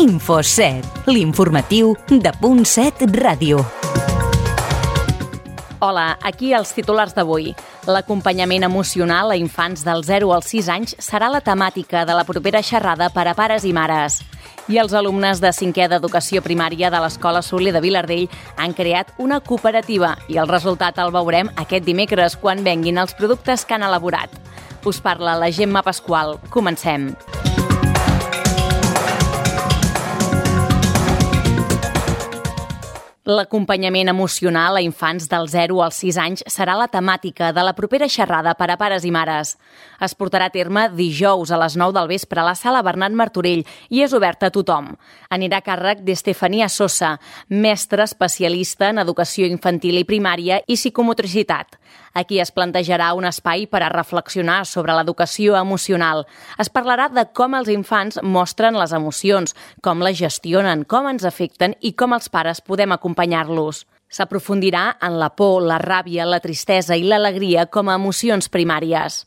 Info7, l'informatiu de Punt7 Ràdio. Hola, aquí els titulars d'avui. L'acompanyament emocional a infants del 0 als 6 anys serà la temàtica de la propera xerrada per a pares i mares. I els alumnes de 5è d'Educació Primària de l'Escola Soler de Vilardell han creat una cooperativa i el resultat el veurem aquest dimecres quan venguin els productes que han elaborat. Us parla la Gemma Pasqual. Comencem. L'acompanyament emocional a infants del 0 als 6 anys serà la temàtica de la propera xerrada per a pares i mares. Es portarà a terme dijous a les 9 del vespre a la sala Bernat Martorell i és oberta a tothom. Anirà a càrrec d'Estefania Sosa, mestra especialista en educació infantil i primària i psicomotricitat. Aquí es plantejarà un espai per a reflexionar sobre l'educació emocional. Es parlarà de com els infants mostren les emocions, com les gestionen, com ens afecten i com els pares podem acompanyar-los. S'aprofundirà en la por, la ràbia, la tristesa i l'alegria com a emocions primàries.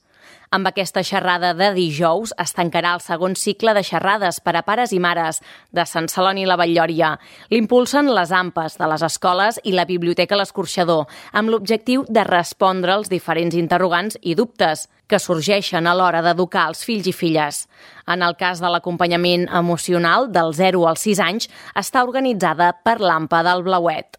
Amb aquesta xerrada de dijous es tancarà el segon cicle de xerrades per a pares i mares de Sant Celoni i la Batllòria. L'impulsen les AMPAs de les escoles i la Biblioteca L'Escorxador, amb l'objectiu de respondre als diferents interrogants i dubtes que sorgeixen a l'hora d'educar els fills i filles. En el cas de l'acompanyament emocional del 0 als 6 anys, està organitzada per l'AMPA del Blauet.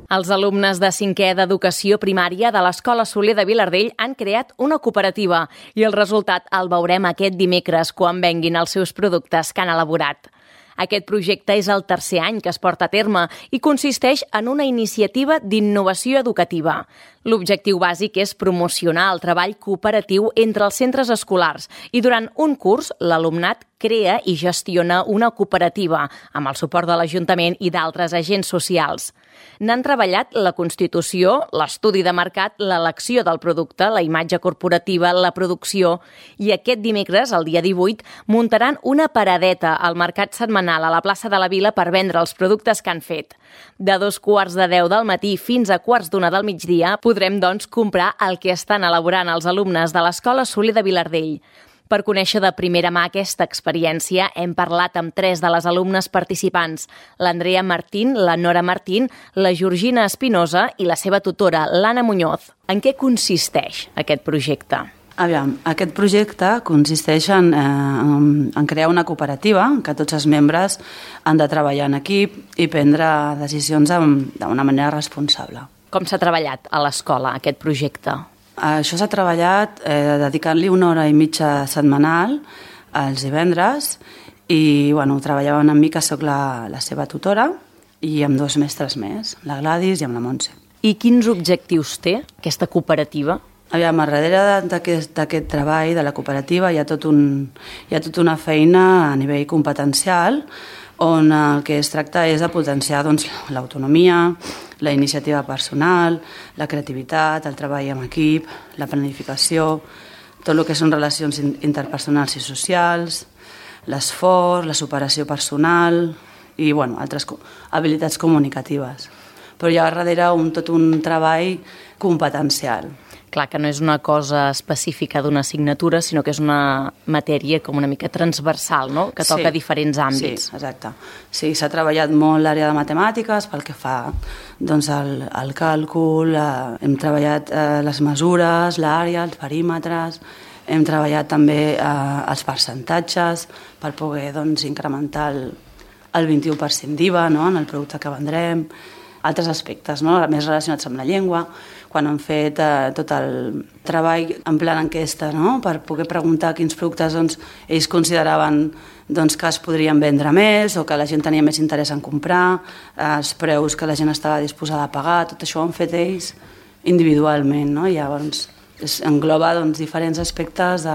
Els alumnes de 5è d'Educació Primària de l'Escola Soler de Vilardell han creat una cooperativa i el resultat el veurem aquest dimecres quan venguin els seus productes que han elaborat. Aquest projecte és el tercer any que es porta a terme i consisteix en una iniciativa d'innovació educativa. L'objectiu bàsic és promocionar el treball cooperatiu entre els centres escolars i durant un curs l'alumnat crea i gestiona una cooperativa amb el suport de l'Ajuntament i d'altres agents socials. N'han treballat la constitució, l'estudi de mercat, l'elecció del producte, la imatge corporativa, la producció i aquest dimecres, el dia 18, muntaran una paradeta al mercat setmanal a la plaça de la Vila per vendre els productes que han fet. De 2:15 del matí fins a 1:15 del migdia podrem, doncs, comprar el que estan elaborant els alumnes de l'Escola Soler de Vilardell. Per conèixer de primera mà aquesta experiència, hem parlat amb 3 de les alumnes participants, l'Andrea Martín, la Nora Martín, la Georgina Espinosa i la seva tutora, l'Anna Muñoz. En què consisteix aquest projecte? Aviam, aquest projecte consisteix en crear una cooperativa en què tots els membres han de treballar en equip i prendre decisions d'una manera responsable. Com s'ha treballat a l'escola aquest projecte? Això s'ha treballat dedicant-li 1 hora i mitja setmanal els divendres i ho treballaven amb mi, que sóc la seva tutora, i amb 2 mestres més, la Gladys i amb la Montse. I quins objectius té aquesta cooperativa? Aviam, darrere d'aquest treball de la cooperativa hi ha tota una feina a nivell competencial on el que es tracta és de potenciar l'autonomia, la iniciativa personal, la creativitat, el treball en equip, la planificació, tot el que són relacions interpersonals i socials, l'esforç, la superació personal i altres habilitats comunicatives. Però hi ha darrere tot un treball competencial. Clar que no és una cosa específica d'una assignatura, sinó que és una matèria com una mica transversal, no? Que toca diferents àmbits. Sí, exacte. Sí, s'ha treballat molt l'àrea de matemàtiques pel que fa al càlcul, hem treballat les mesures, l'àrea, els perímetres, hem treballat també els percentatges per poder incrementar el 21% d'IVA en el producte que vendrem, altres aspectes més relacionats amb la llengua, quan han fet tot el treball en plan enquesta per poder preguntar quins productes ells consideraven que es podrien vendre més o que la gent tenia més interès en comprar, els preus que la gent estava disposada a pagar, tot això ho han fet ells individualment. Llavors engloba diferents aspectes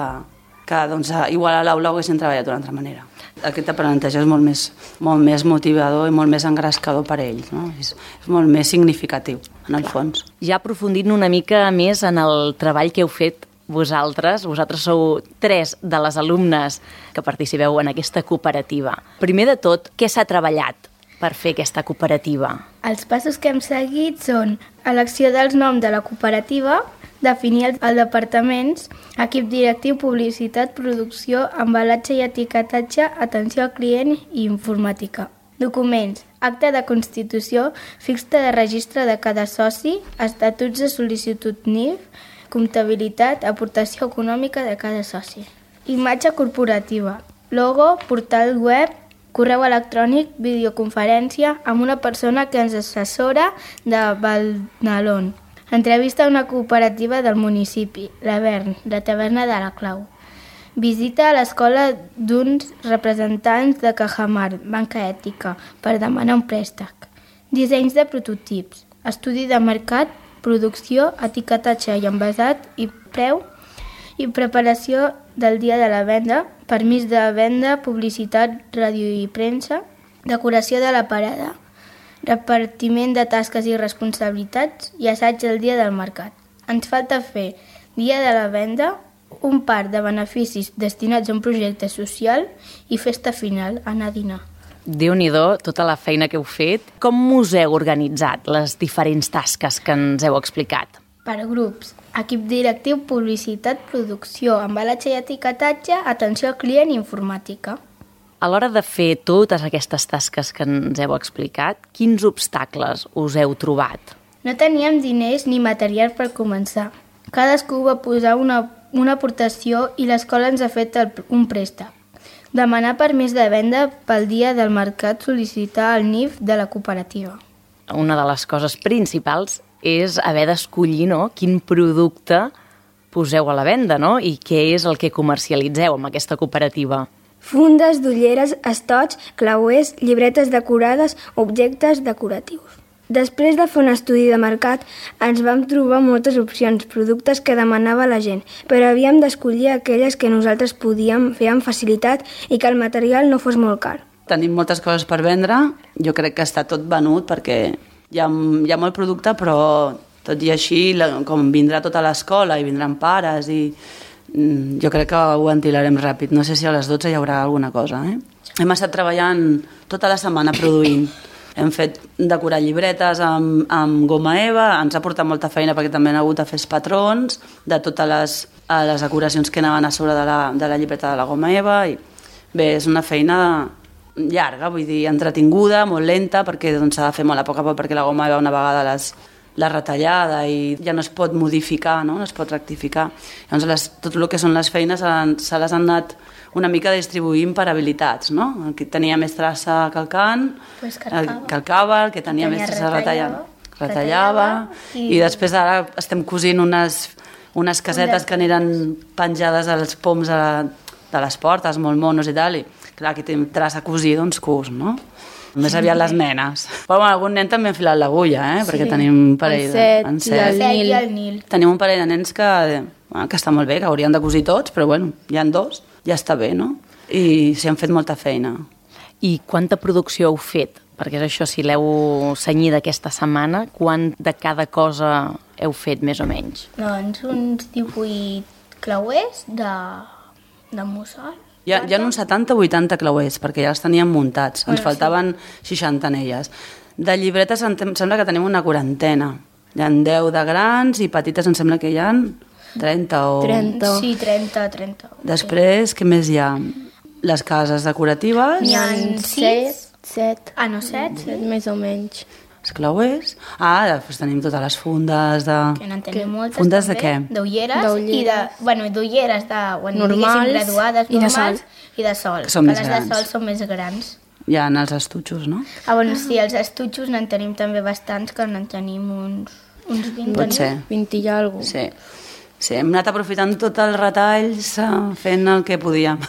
que igual a l'aula ho haguessin treballat d'una altra manera. Aquest aprenentatge és molt més motivador i molt més engrescador per a ells. És molt més significatiu, en el fons. Ja aprofundint una mica més en el treball que heu fet vosaltres sou 3 de les alumnes que participeu en aquesta cooperativa. Primer de tot, què s'ha treballat? per fer aquesta cooperativa? Els passos que hem seguit són elecció dels noms de la cooperativa, definir els departaments, equip directiu, publicitat, producció, embalatge i etiquetatge, atenció al client i informàtica. Documents, acte de constitució, fixta de registre de cada soci, estatuts de sol·licitud NIF, comptabilitat, aportació econòmica de cada soci. Imatge corporativa, logo, portal web, correu electrònic, videoconferència amb una persona que ens assessora de Valnalón. Entrevista a una cooperativa del municipi, l'Avern, la taverna de la Clau. Visita a l'escola d'uns representants de Cajamar, banca ètica, per demanar un préstec. Dissenys de prototips, estudi de mercat, producció, etiquetatge i envasat i preu i preparació del dia de la venda, permís de venda, publicitat, ràdio i premsa, decoració de la parada, repartiment de tasques i responsabilitats i assaig del dia del mercat. Ens falta fer dia de la venda, un parc de beneficis destinats a un projecte social i festa final, anar a dinar. Déu-n'hi-do, tota la feina que heu fet. Com us heu organitzat les diferents tasques que ens heu explicat? Per grups, equip directiu, publicitat, producció, embalatge i etiquetatge, atenció al client i informàtica. A l'hora de fer totes aquestes tasques que ens heu explicat, quins obstacles us heu trobat? No teníem diners ni material per començar. Cadascú va posar una aportació i l'escola ens ha fet un préstec. Demanar permís de venda pel dia del mercat, sol·licitar el NIF de la cooperativa. Una de les coses principals és haver d'escollir, no?, quin producte poseu a la venda, no?, i què és el que comercialitzeu amb aquesta cooperativa. Fundes, d'ulleres, estots, clauers, llibretes decorades, objectes decoratius. Després de fer un estudi de mercat, ens vam trobar moltes opcions, productes que demanava la gent, però havíem d'escollir aquelles que nosaltres podíem fer amb facilitat i que el material no fos molt car. Tenim moltes coses per vendre, jo crec que està tot venut perquè hi ha molt producte, però tot i així, com vindrà tota l'escola i vindran pares i jo crec que ho ventilarem ràpid. No sé si a les 12 hi haurà alguna cosa. Hem estat treballant tota la setmana produint. Hem fet decorar llibretes amb goma eva, ens ha portat molta feina perquè també hem hagut de fer els patrons de totes les decoracions que anaven a sobre de la llibreta de la goma eva. I bé, és una feina llarga, vull dir, entretinguda, molt lenta, perquè s'ha de fer molt a poc perquè la goma eva una vegada la retallada i ja no es pot modificar, no es pot rectificar. Llavors tot el que són les feines se les han anat una mica distribuint per habilitats, no? El que tenia més traça calcant, calcava, el que tenia més traça retallava i després ara estem cosint unes casetes que aniran penjades als poms de les portes, molt monos i tal, i clar, aquí tenim traça a cosir, doncs cus, no? Més aviat les nenes. Però algun nen també ha enfilat l'agulla, perquè tenim un parell el Set i el Nil. Tenim un parell de nens que està molt bé, que haurien de cosir tots, però bueno, hi ha dos, ja està bé, no? I s'hi han fet molta feina. I quanta producció heu fet? Perquè és això, si l'heu cenyida aquesta setmana, quant de cada cosa heu fet, més o menys? Doncs uns 18 clauers de mussol. Hi ha uns 70 o 80 clauers, perquè ja els teníem muntats. Ens faltaven 60 anelles. De llibretes em sembla que tenim una quarantena. Hi ha 10 de grans i petites em sembla que hi ha 30 o... 30. Sí, 30. Després, què més hi ha? Les cases decoratives. N'hi ha 7. Ah, no, 7 més o menys. Els clauers. Després tenim totes les fundes de... Que n'en tenim moltes, fundes també. De què? D'ulleres i de... Bueno, d'ulleres normals graduades, normals i de sol. Que són més les grans. de sol són més grans. Hi ha els estutxos, no? Bueno, sí, els estutxos n'en tenim també bastants, que n'en tenim uns 20. Pot ser. 20 i alguna cosa. Sí, hem anat aprofitant tots els retalls, fent el que podíem.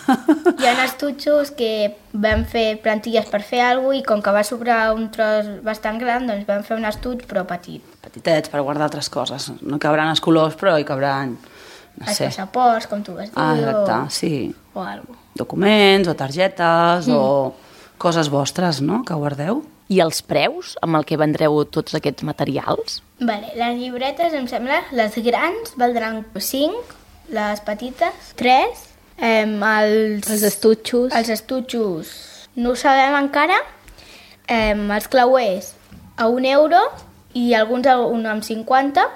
Hi ha estutxos que vam fer plantilles per fer alguna cosa i com que va sobrar un tros bastant gran, doncs vam fer un estuig però petit. Petitets, per guardar altres coses. No cabran els colors, però hi cabran, no sé. Els passaports, com tu vas dir. Exacte, sí. O alguna cosa. Documents o targetes o coses vostres, no?, que guardeu. I els preus amb el que vendreu tots aquests materials? Vale, les llibretes, em sembla, les grans valdran 5, les petites 3, els estutxos no ho sabem encara, Els clauers a 1 euro i alguns a 1,50.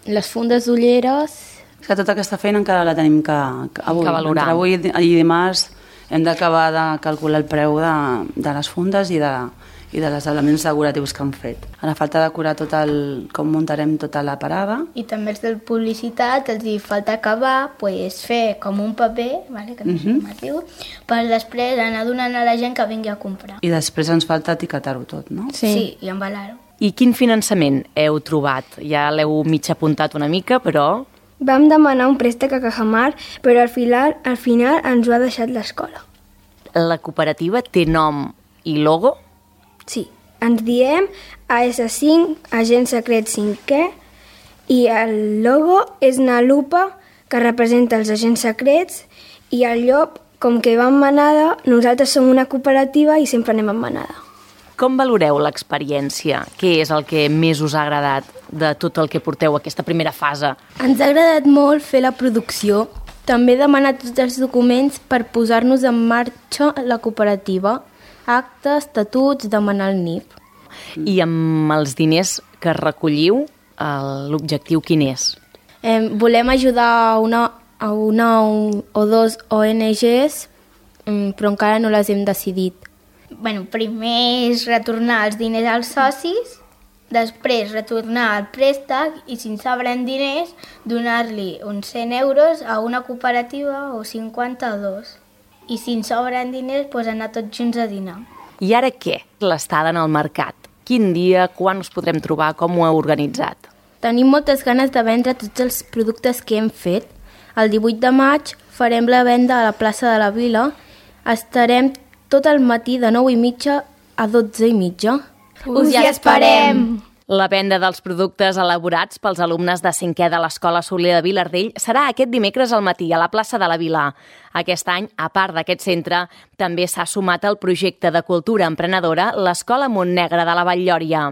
Les fundes d'ulleres... És que tota aquesta feina encara la tenim que valorar. Entre avui i dimarts hem d'acabar de calcular el preu de les fundes i dels elements decoratius que han fet. Ara falta decorar com muntarem tota la parada. I també els de publicitat els hi falta acabar, fer com un paper, que no sé com es diu, per després anar donant a la gent que vingui a comprar. I després ens falta etiquetar-ho tot, no? Sí, i embalar-ho. I quin finançament heu trobat? Ja l'heu mig apuntat una mica, però... Vam demanar un préstec a Cajamar, però al final ens ho ha deixat l'escola. La cooperativa té nom i logo? Sí, ens diem AS5, Agent Secret 5è, i el logo és una lupa que representa els agents secrets i el llop, com que va en manada, nosaltres som una cooperativa i sempre anem en manada. Com valoreu l'experiència? Què és el que més us ha agradat de tot el que porteu aquesta primera fase? Ens ha agradat molt fer la producció. També demanar tots els documents per posar-nos en marxa la cooperativa. Actes, estatuts, demanar el NIP. I amb els diners que recolliu, l'objectiu quin és? Volem ajudar a una o dos ONGs, però encara no les hem decidit. Primer és retornar els diners als socis, després retornar el préstec i si ens sobren diners donar-li uns 100 euros a una cooperativa o 50 a 2. I si ens sobren diners anar tots junts a dinar. I ara què? L'estada en el mercat. Quin dia, quan us podrem trobar, com ho heu organitzat? Tenim moltes ganes de vendre tots els productes que hem fet. El 18 de maig farem la venda a la plaça de la Vila. Estarem tot el matí de 9:30 a 12:30. Us hi esperem! La venda dels productes elaborats pels alumnes de 5è de l'Escola Soler de Vilardell serà aquest dimecres al matí a la plaça de la Vila. Aquest any, a part d'aquest centre, també s'ha sumat al projecte de cultura emprenedora l'Escola Montnegre de la Vall-lloria.